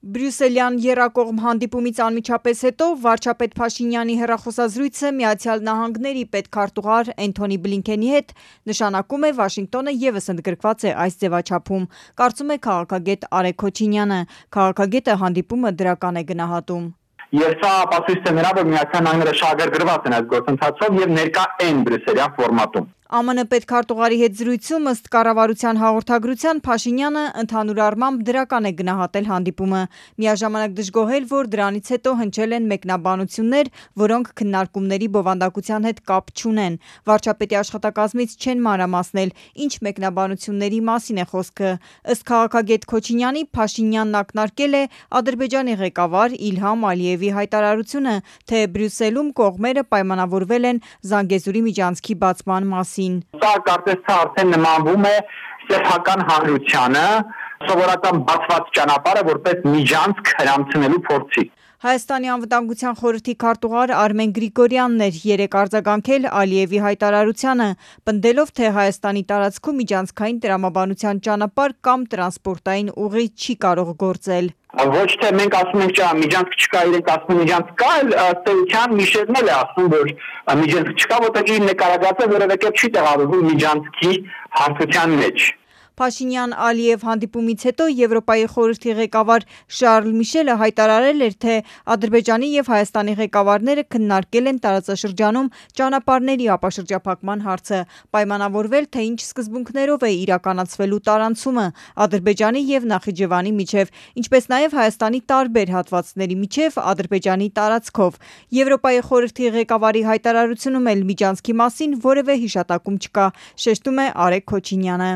Բրյուսելյան եռակողմ հանդիպումից անմիջապես հետո վարչապետ Փաշինյանի հեռախոսազրույցը Միացյալ Նահանգների պետքարտուղար Էնթոնի Բլինքենի հետ նշանակում է Վաշինգտոնը ևս ընդգրկված է այս ձևաչափում, կարծում է քաղաքագետ Արեգ Քոչինյանը։ Քաղաքագետը հանդիպումը դրական է գնահատում։ Եվ սա ապացույց է նրա, որ Միացյալ Նահանգները շահագրգռված են այս գործընթացով եւ ներկա են բրյուսելյան ֆորմատում։ ԱՄՆ պետքարտուղարի հետ զրույցում ըստ կառավարության հաղորդագրության Փաշինյանը ընդհանուր առմամբ դրական է գնահատել հանդիպումը, միաժամանակ դժգոհել, որ դրանից հետո հնչել են մեկնաբանություններ, որոնք քննարկումների բովանդակության հետ կապ չունեն։ Վարչապետի աշխատակազմից չեն մանրամասնել, ինչ մեկնաբանությունների մասին է խոսքը։ Ըստ քաղաքագետ Քոչինյանի, Փաշինյանն ակնարկել է Ադրբեջանի ղեկավար Իլհամ Ալիևի հայտարարությունը, թե Բրյուսելում կողմերը պայմանավորվել են Զանգեզուրի միջանցքի բացման մասին։ Սա կարծես թե արդեն նմանվում է սեփական հանրությանը, սովորական բացված ճանապարհը որպես միջանցք հրամցնելու փորձի։ Հայաստանի անվտանգության խորհրդի քարտուղար Արմեն Գրիգորյանն էր երեկ արձագանքել Ալիևի հայտարարությանը, պնդելով, թե Հայաստանի տարածքում միջանցքային տրամաբանության ճանապարհ կամ տրանսպորտային ուղի չի կարող գործել։ Ոչ թե մենք ասում ենք, չէ, միջանցք չկա, իրենք ասում են միջանցք կա, ըստ էության Միշելն էլ է ասում, որ միջանցք չկա, որտեղ իր նկարագրածը որևէ կերպ չի տեղավորվում միջանցքի հարթության մեջ։ Փաշինյան-Ալիև հանդիպումից հետո Եվրոպայի խորհրդի ղեկավար Շարլ Միշելը հայտարարել էր, թե Ադրբեջանի եւ Հայաստանի ղեկավարները քննարկել են տարածաշրջանում ճանապարհների ապաշրջափակման հարցը, պայմանավորվել, թե ինչ սկզբունքներով է իրականացվելու տարանցումը Ադրբեջանի եւ Նախիջևանի միջև, ինչպես նաեւ Հայաստանի տարբեր հատվածների միջև Ադրբեջանի տարածքով։ Եվրոպայի խորհրդի ղեկավարի հայտարարությունում էլ միջանցքի մասին որևէ հիշատակում չկա, շեշտում է Արեգ Քոչինյանը։